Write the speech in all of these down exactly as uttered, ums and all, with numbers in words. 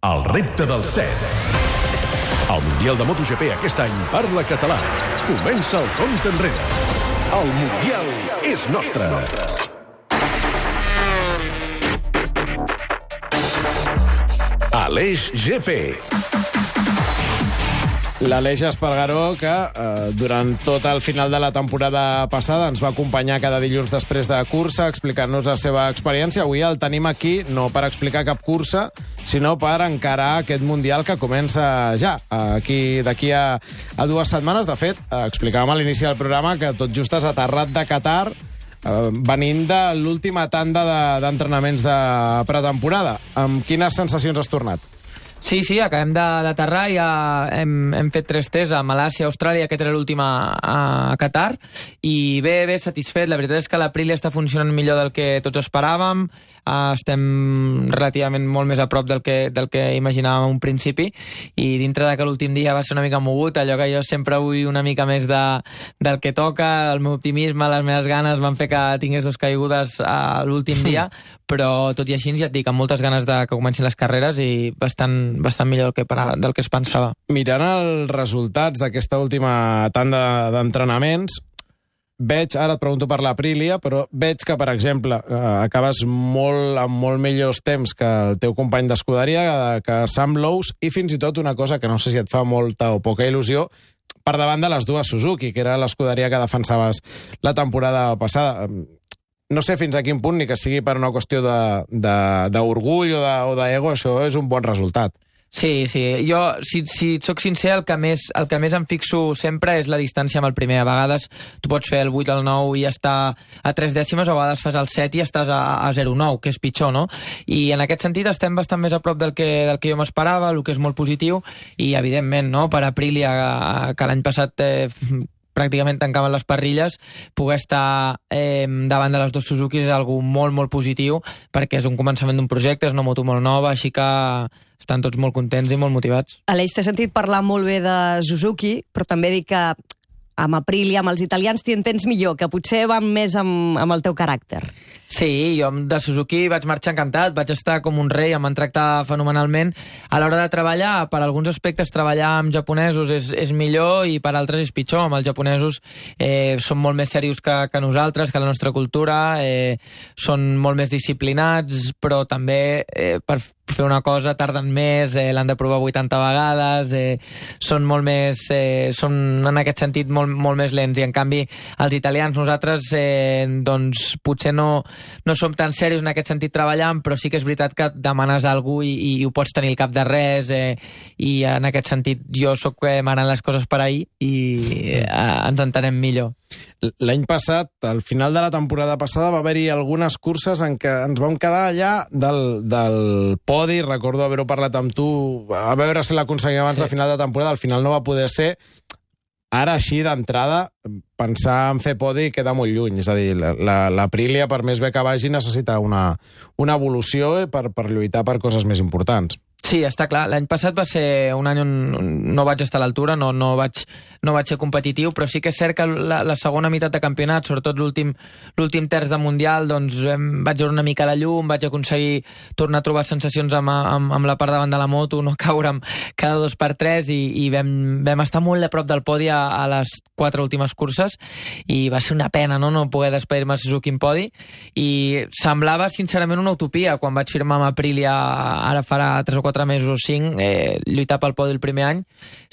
El repte del set. El Mundial de MotoGP aquest any parla català. Comença el compte enrere. El Mundial és nostre. Aleix G P. L'Aleix Espargaró, que eh, durant tot el final de la temporada passada ens va acompanyar cada dilluns després de cursa, explicant-nos la seva experiència. Avui el tenim aquí no per explicar cap cursa, sinó per encarar aquest Mundial que comença ja, aquí d'aquí a, a dues setmanes. De fet, eh, explicàvem a l'inici del programa que tot just has aterrat de Qatar, eh, venint de l'última tanda de, d'entrenaments de pretemporada. Amb quines sensacions has tornat? Sí, sí, acabem d'aterrar, ja hem, hem fet tres tests a Malàisia, Austràlia, aquest era l'últim a, a Qatar, i bé, bé, satisfet. La veritat és que l'Aprilia està funcionant millor del que tots esperàvem, uh, estem relativament molt més a prop del que, del que imaginàvem a un principi, i dintre de que l'últim dia va ser una mica mogut, allò que jo sempre vull una mica més de, del que toca, el meu optimisme, les meves ganes van fer que tingués dos caigudes a l'últim dia, però tot i així ja et dic, amb moltes ganes de que comencin les carreres i bastant, bastant millor del que, del que es pensava. Mirant els resultats d'aquesta última tanda d'entrenaments, veig, ara et pregunto per l'Aprilia, però veig que, per exemple, eh, acabes molt, amb molt millors temps que el teu company d'escuderia, que Sam Lowes, i fins i tot una cosa que no sé si et fa molta o poca il·lusió, per davant de les dues Suzuki, que era l'escuderia que defensaves la temporada passada. No sé fins a quin punt, ni que sigui per una qüestió d'orgull o d'ego, això és un bon resultat. Sí, sí. Jo, si, si et soc sincer, el que, més, el que més em fixo sempre és la distància amb el primer. A vegades tu pots fer el vuit al nou i estar a tres dècimes, o a vegades fas el set i estàs a, a zero coma nou, que és pitjor, no? I en aquest sentit estem bastant més a prop del que, del que jo m'esperava, el que és molt positiu, i evidentment, no?, per Aprilia, que l'any passat eh, pràcticament tancaven les parrilles, poder estar eh, davant de les dues Suzuki és algo molt, molt positiu, perquè és un començament d'un projecte, és una moto molt nova, així que estan tots molt contents i molt motivats. Aleix, t'he sentit parlar molt bé de Suzuki, però també dic que amb Aprilia, amb els italians, t'hi entens millor, que potser van més amb, amb el teu caràcter. Sí, jo de Suzuki vaig marxar encantat, vaig estar com un rei, em van tractar fenomenalment. A l'hora de treballar, per alguns aspectes, treballar amb japonesos és, és millor i per altres és pitjor. Amb els japonesos eh, són molt més serios que, que nosaltres, que la nostra cultura, eh, són molt més disciplinats, però també eh, per fer una cosa tarden més, eh, l'han de provar vuitanta vegades, eh, són molt més, eh, són en aquest sentit molt, molt més lents, i en canvi els italians, nosaltres eh, doncs potser no, no som tan serios en aquest sentit treballant, però sí que és veritat que demanes a algú i, i ho pots tenir al cap de res, eh, i en aquest sentit jo sóc eh, manant les coses per ahir i eh, ens entenem millor. L'any passat, al final de la temporada passada, va haver-hi algunes curses en què ens vam quedar allà del, del podi. Recordo haver-ho parlat amb tu, a veure si l'aconseguim abans sí. de final de temporada. Al final no va poder ser. Ara, així d'entrada, pensar en fer podi queda molt lluny. És a dir, l'Aprilia, per més bé que vagi, necessita una, una evolució per, per lluitar per coses més importants. Sí, està clar. L'any passat va ser un any on no vaig estar a l'altura, no, no, vaig, no vaig ser competitiu, però sí que és cert que la, la segona meitat de campionat, sobretot l'últim l'últim terç de Mundial, doncs em, vaig veure una mica la llum, vaig aconseguir tornar a trobar sensacions amb, amb, amb la part davant de la moto, no caure'm cada dos per tres, i, i vam, vam estar molt a prop del podi a, a les quatre últimes curses, i va ser una pena, no, no poder despedir-me a Suzuki en podi, i semblava sincerament una utopia quan vaig firmar amb Aprilia ara farà tres o quatre mesos o cinc, eh, lluitar pel podi el primer any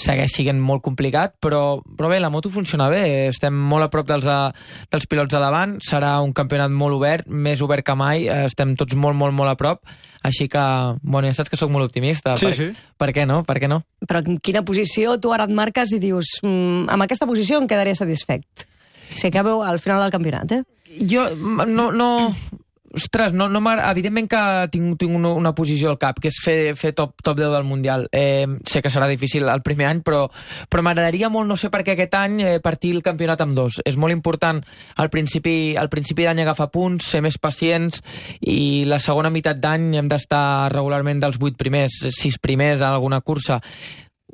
segueix sent molt complicat, però, però bé, la moto funciona bé, estem molt a prop dels, a, dels pilots de davant, serà un campionat molt obert, més obert que mai, estem tots molt, molt, molt a prop, així que, bueno, ja saps que sóc molt optimista. Sí, per, sí. Per què no? Per què no? Però en quina posició tu ara et marques i dius, mmm, amb aquesta posició em quedaré satisfet? Si acabeu al final del campionat, eh? Jo no... no... Ostres, no, no evidentment que tinc, tinc una, una posició al cap, que és fer, fer top, top deu del Mundial. Eh, sé que serà difícil el primer any, però, però m'agradaria molt, no sé per què aquest any, eh, partir el campionat amb dos. És molt important al principi, al principi d'any agafar punts, ser més pacients, i la segona meitat d'any hem d'estar regularment dels vuit primers, sis primers en alguna cursa.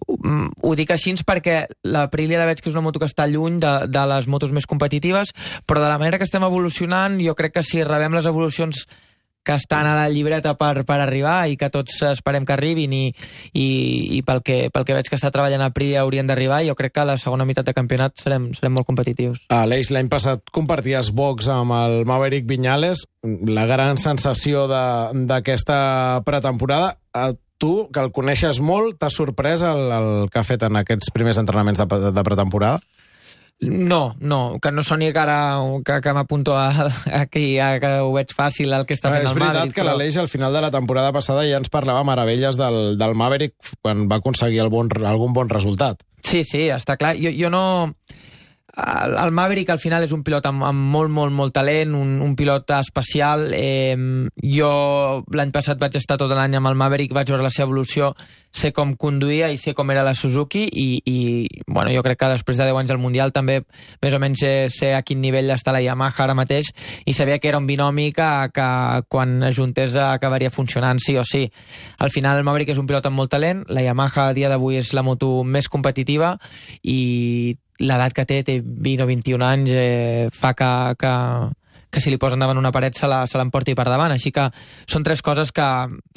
Ho dic així perquè l'Aprilia la veig que és una moto que està lluny de, de les motos més competitives, però de la manera que estem evolucionant, jo crec que si rebem les evolucions que estan a la llibreta per, per arribar i que tots esperem que arribin i, i, i pel, que, pel que veig que està treballant a Aprilia haurien d'arribar, jo crec que a la segona meitat de campionat serem, serem molt competitius. Aleix, l'any passat comparties box amb el Maverick Viñales, la gran sensació d'aquesta pretemporada. A tu, que el coneixes molt, t'ha sorprès el, el que ha fet en aquests primers entrenaments de, de pretemporada? No, no, que no soni que ara que, que m'apunto a, aquí, a, que ho veig fàcil el que està fent el Maverick. És veritat que però... l'Aleix al final de la temporada passada ja ens parlava meravelles del, del Maverick quan va aconseguir el bon, algun bon resultat. Sí, sí, està clar. Jo, jo no... El, el Maverick al final és un pilot amb, amb molt, molt, molt talent, un, un pilot especial. Eh, jo l'any passat vaig estar tot l'any amb el Maverick, vaig veure la seva evolució, sé com conduïa i sé com era la Suzuki i, i bueno, jo crec que després de deu anys al Mundial també més o menys sé, sé a quin nivell està la Yamaha ara mateix i sabia que era un binomi que, que quan es juntés acabaria funcionant sí o sí. Al final el Maverick és un pilot amb molt talent, la Yamaha a dia d'avui és la moto més competitiva i l'edat que té, té vint o vint-i-un anys, eh, fa que, que, que si li posen davant una paret se l'emporti per davant. Així que són tres coses que,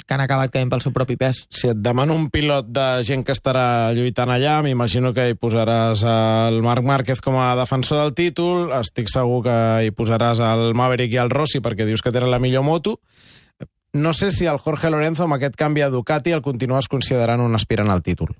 que han acabat caient pel seu propi pes. Si et demano un pilot de gent que estarà lluitant allà, m'imagino que hi posaràs el Marc Márquez com a defensor del títol, estic segur que hi posaràs el Maverick i el Rossi perquè dius que tenen la millor moto. No sé si el Jorge Lorenzo, amb aquest canvi a Ducati, el continues considerant un aspirant al títol.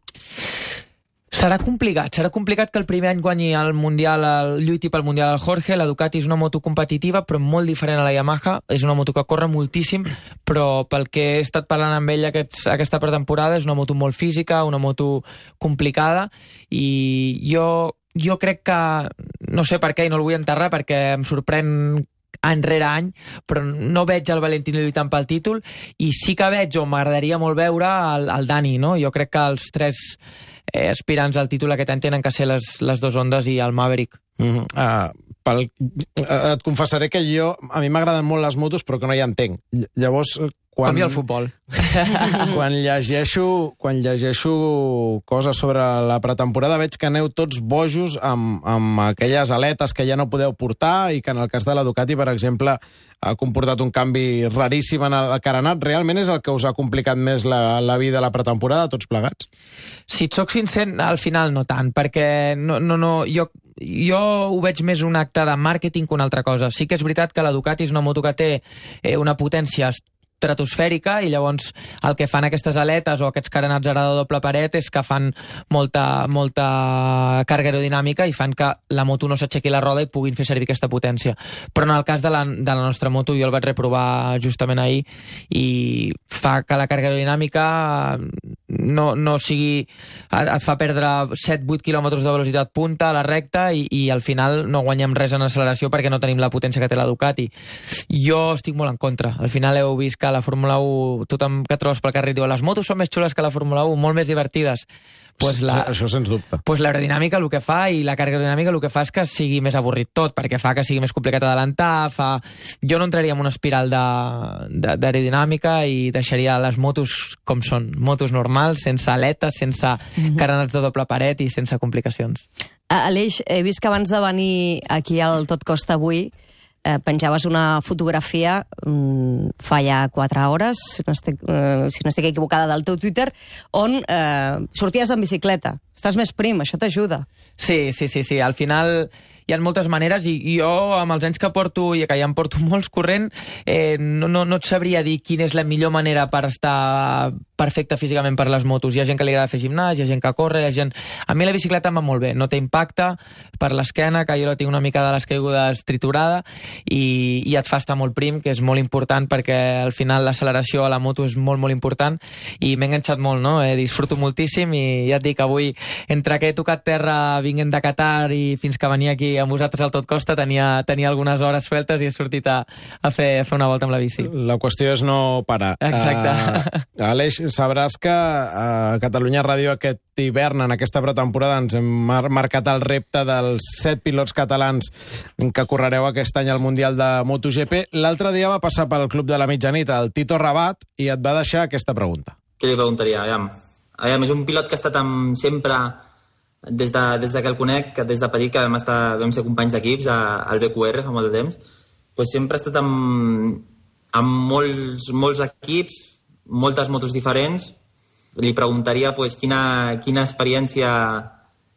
Serà complicat, serà complicat que el primer any guanyi el Mundial, el lluiti pel Mundial al Jorge. La Ducati és una moto competitiva, però molt diferent a la Yamaha. És una moto que corre moltíssim, però pel que he estat parlant amb ell aquests, aquesta pretemporada, és una moto molt física, una moto complicada, i jo, jo crec que, no sé per què, i no el vull enterrar, perquè em sorprèn any rere any, però no veig el Valentino lluitant pel títol, i sí que veig, o m'agradaria molt veure, el, el Dani, no? Jo crec que els tres eh, aspirants al títol aquest any tenen que ser les, les dos Hondes i el Maverick. Mm-hmm. uh, pel, uh, et confessaré que jo, a mi m'agraden molt les motos, però que no hi entenc. Llavors, quan... Com i el futbol. quan, llegeixo, quan llegeixo coses sobre la pretemporada veig que aneu tots bojos amb, amb aquelles aletes que ja no podeu portar i que en el cas de la Ducati, per exemple, ha comportat un canvi raríssim en el carenat. Realment és el que us ha complicat més la, la vida a la pretemporada, tots plegats? Si et soc sincer, al final no tant, perquè no, no, no, jo, jo ho veig més un acte de màrqueting que una altra cosa. Sí que és veritat que la Ducati és una moto que té eh, una potència estratosfèrica i llavors el que fan aquestes aletes o aquests carenats ara de doble paret és que fan molta, molta càrrega aerodinàmica i fan que la moto no s'aixequi la roda i puguin fer servir aquesta potència. Però en el cas de la, de la nostra moto, jo el vaig reprovar justament ahir i fa que la càrrega aerodinàmica no, no sigui... et fa perdre set vuit quilòmetres de velocitat punta a la recta i, i al final no guanyem res en acceleració perquè no tenim la potència que té la Ducati. Jo estic molt en contra. Al final heu vist que a la Fórmula u, tothom que trobes pel carrer diu les motos són més xules que la Fórmula u, molt més divertides. Pues la, sí, això sens dubte. Pues l'aerodinàmica el que fa i la càrrega aerodinàmica el que fa és que sigui més avorrit tot, perquè fa que sigui més complicat adelantar, fa... Jo no entraria en una espiral d'aerodinàmica i deixaria les motos com són, motos normals, sense aletes, sense mm-hmm. carenats de doble paret i sense complicacions. Aleix, he vist que abans de venir aquí al Tot Costa avui Eh, penjaves una fotografia um, fa ja quatre hores, si no estic, uh, si no estic equivocada, del teu Twitter, on eh, sorties en bicicleta. Estàs més prim, això t'ajuda. Sí, sí, sí, sí. Al final hi ha moltes maneres i, i jo, amb els anys que porto, i que ja em porto molts corrent, eh, no, no, no et sabria dir quina és la millor manera per estar perfecte físicament per les motos. Hi ha gent que li agrada fer gimnàs, hi ha gent que corre, hi ha gent... A mi la bicicleta em va molt bé, no té impacte per l'esquena, que jo la tinc una mica de les caigudes triturada, i, i et fa estar molt prim, que és molt important perquè al final l'acceleració a la moto és molt, molt important, i m'he enganxat molt, no? Eh, disfruto moltíssim i ja et dic, avui, entre que he tocat terra vinguent de Qatar i fins que venia aquí amb vosaltres al Tot Costa, tenia, tenia algunes hores sueltes i he sortit a, a, fer, a fer una volta amb la bici. La qüestió és no parar. Exacte. Uh, Aleix, sabràs que a Catalunya Ràdio aquest hivern, en aquesta pretemporada, ens hem mar marcat el repte dels set pilots catalans que correreu aquest any al Mundial de MotoGP. L'altre dia va passar pel Club de la Mitjanit el Tito Rabat i et va deixar aquesta pregunta. Què li preguntaria? Aviam. Aviam, és un pilot que ha estat amb, sempre, des de, des de que el conec, que des de petit, que vam, estar, vam ser companys d'equips al B Q R fa molt de temps, doncs sempre ha estat amb, amb molts, molts equips, moltes motos diferents. Li preguntaria pues, quina, quina experiència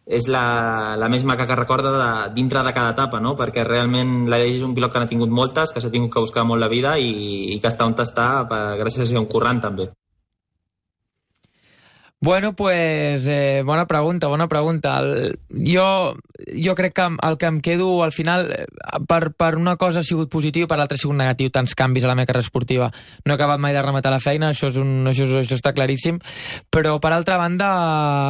és la, la més maca que recorda de, dintre de cada etapa, no? Perquè realment l'Aleix és un pilot que n'ha tingut moltes, que s'ha tingut que buscar molt la vida i, i que està on està per, gràcies a ser un currant també. Bueno, pues, eh, bona pregunta, bona pregunta. El, jo, jo crec que el que em quedo al final, per, per una cosa ha sigut positiu, per l'altra ha sigut negatiu, tants canvis a la meva carrera esportiva. No he acabat mai de rematar la feina, això, és un, això, és, això està claríssim, però per altra banda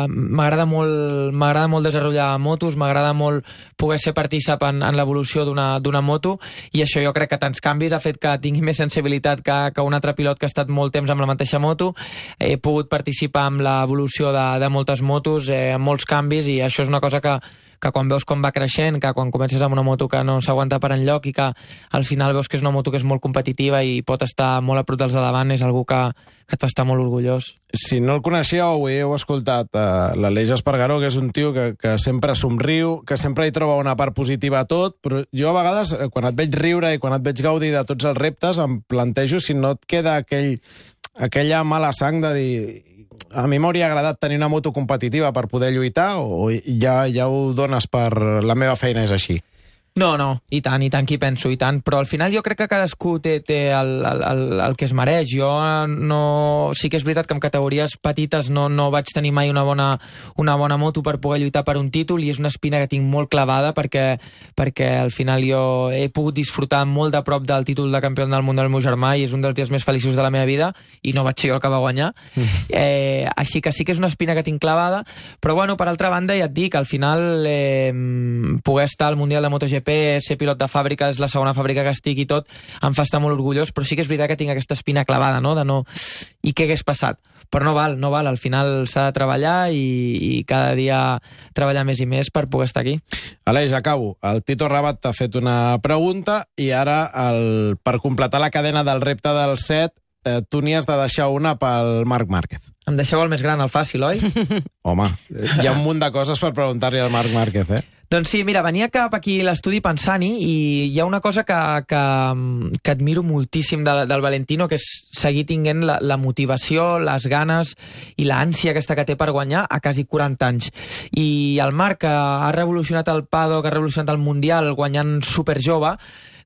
m'agrada molt, m'agrada molt desenvolupar motos, m'agrada molt poder ser partícip en, en l'evolució d'una moto, i això jo crec que tants canvis ha fet que tingui més sensibilitat que, que un altre pilot que ha estat molt temps amb la mateixa moto. He pogut participar amb la evolució de, de moltes motos, eh, amb molts canvis, i això és una cosa que, que quan veus com va creixent, que quan comences amb una moto que no s'aguanta per enlloc i que al final veus que és una moto que és molt competitiva i pot estar molt a prop dels de davant, és algú que, que et fa estar molt orgullós. Si no el coneixeu, ho heu escoltat, uh, l'Aleix Espargaró, que és un tio que, que sempre somriu, que sempre hi troba una part positiva a tot, però jo a vegades, quan et veig riure i quan et veig gaudir de tots els reptes, em plantejo si no et queda aquell, aquella mala sang de dir... A mi m'hauria agradat tenir una moto competitiva per poder lluitar, o ja, ja ho dones per la meva feina és així? No, no, i tant, i tant que hi penso, i tant, però al final jo crec que cadascú té, té el, el, el, el que es mereix. Jo no... Sí que és veritat que en categories petites no, no vaig tenir mai una bona, una bona moto per poder lluitar per un títol, i és una espina que tinc molt clavada perquè, perquè al final jo he pogut disfrutar molt de prop del títol de campió del món del meu germà, i és un dels dies més feliços de la meva vida, i no vaig ser jo el que va guanyar. Mm. Eh, així que sí que és una espina que tinc clavada, però bueno, per altra banda ja et dic, al final eh, poder estar al Mundial de MotoGP, ser pilot de fàbrica, és la segona fàbrica que estic i tot, em fa estar molt orgullós, però sí que és veritat que tinc aquesta espina clavada, no? De no... I què hagués passat? Però no val, no val, al final s'ha de treballar i, i cada dia treballar més i més per poder estar aquí. Aleix, acabo. El Tito Rabat t'ha fet una pregunta i ara, el, per completar la cadena del repte del set, eh, tu n'hi has de deixar una pel Marc Márquez. Em deixeu el més gran, el fàcil, oi? Home, hi ha un munt de coses per preguntar-li al Marc Márquez, eh? Doncs sí, mira, venia cap aquí a l'estudi pensant-hi, i hi ha una cosa que, que, que admiro moltíssim del, del Valentino, que és seguir tinguent la, la motivació, les ganes i l'ànsia aquesta que té per guanyar a quasi quaranta anys. I el Marc, que ha revolucionat el paddock, ha revolucionat el Mundial guanyant superjove,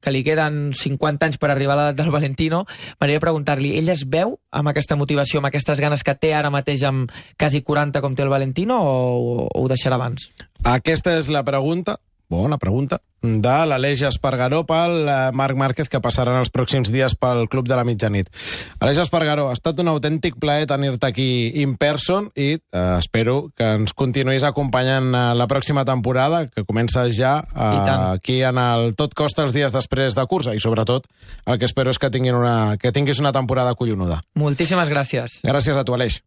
que li queden cinquanta anys per arribar a l'edat del Valentino, m'agradaria preguntar-li, ell es veu amb aquesta motivació, amb aquestes ganes que té ara mateix amb quasi quaranta com té el Valentino, o, o ho deixarà abans? Aquesta és la pregunta, bona pregunta, de l'Aleix Espargaró pel Marc Márquez, que passaran els pròxims dies pel Club de la Mitjanit. Aleix Espargaró, ha estat un autèntic plaer tenir-te aquí in person, i eh, espero que ens continuïs acompanyant la pròxima temporada, que comença ja eh, aquí en el Tot Costa els dies després de cursa, i sobretot el que espero és que, tinguin una, que tinguis una temporada collonuda. Moltíssimes gràcies. Gràcies a tu, Aleix.